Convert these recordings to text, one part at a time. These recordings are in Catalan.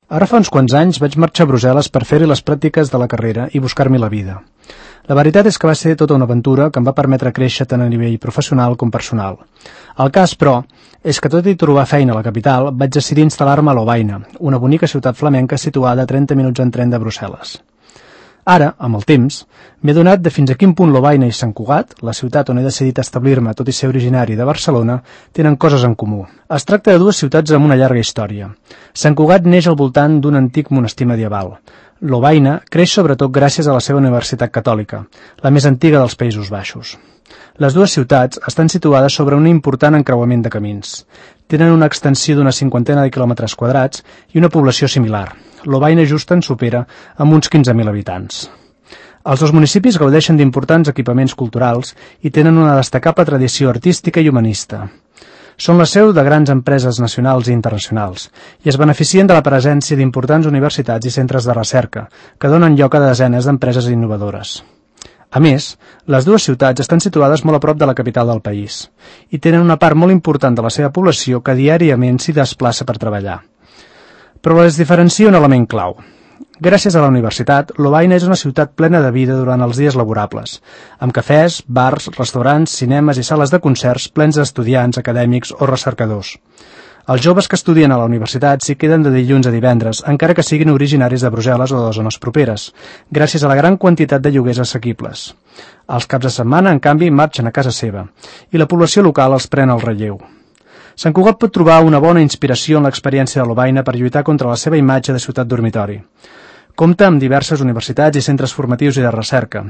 Ara fa uns quants anys vaig marxar a Brussel·les per fer-hi les pràctiques de la carrera i buscar-m'hi la vida. La veritat és que va ser tota una aventura que em va permetre créixer tant a nivell professional com personal. El cas, però, és que tot i trobar feina a la capital, vaig decidir instal·lar-me a Lovaina, una bonica ciutat flamenca situada a 30 minuts en tren de Brussel·les. Ara, amb el temps, m'he adonat de fins a quin punt Lovaina i Sant Cugat, la ciutat on he decidit establir-me tot i ser originari de Barcelona, tenen coses en comú. Es tracta de dues ciutats amb una llarga història. Sant Cugat neix al voltant d'un antic monestir medieval. Lovaina creix sobretot gràcies a la seva universitat catòlica, la més antiga dels Països Baixos. Les dues ciutats estan situades sobre un important encreuament de camins. Tenen una extensió d'una 50ena de quilòmetres quadrats i una població similar. Lovaina just en supera amb uns 15.000 habitants. Els dos municipis gaudeixen d'importants equipaments culturals i tenen una destacable tradició artística i humanista. Són la seu de grans empreses nacionals i internacionals i es beneficien de la presència d'importants universitats i centres de recerca, que donen lloc a desenes d'empreses innovadores. A més, les dues ciutats estan situades molt a prop de la capital del país i tenen una part molt important de la seva població que diàriament s'hi desplaça per treballar. Però les diferencia un element clau. Gràcies a la universitat, Lovaina és una ciutat plena de vida durant els dies laborables, amb cafès, bars, restaurants, cinemes i sales de concerts plens d'estudiants, acadèmics o recercadors. Els joves que estudien a la universitat s'hi queden de dilluns a divendres, encara que siguin originaris de Brussel·les o de zones properes, gràcies a la gran quantitat de lloguers assequibles. Els caps de setmana, en canvi, marxen a casa seva, i la població local els pren el relleu. Sant Cugat pot trobar una bona inspiració en l'experiència de Lovaina per lluitar contra la seva imatge de ciutat dormitori. Compta amb diverses universitats i centres formatius i de recerca.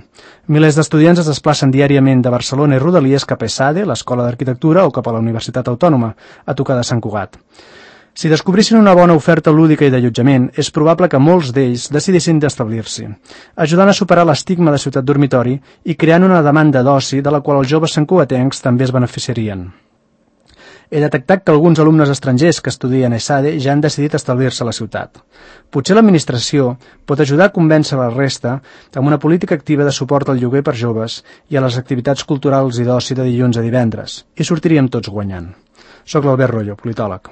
Milers d'estudiants es desplacen diàriament de Barcelona i Rodalies cap a ESADE, l'Escola d'Arquitectura, o cap a la Universitat Autònoma, a tocar de Sant Cugat. Si descobrissin una bona oferta lúdica i d'allotjament, és probable que molts d'ells decidissin d'establir-s'hi, ajudant a superar l'estigma de ciutat dormitori i creant una demanda d'oci de la qual els joves santcugatencs també es beneficiarien. He detectat que alguns alumnes estrangers que estudien a ESADE ja han decidit establir-se a la ciutat. Potser l'administració pot ajudar a convèncer la resta amb una política activa de suport al lloguer per joves i a les activitats culturals i d'oci de dilluns a divendres, i sortiríem tots guanyant. Soc l'Albert Rollo, politòleg.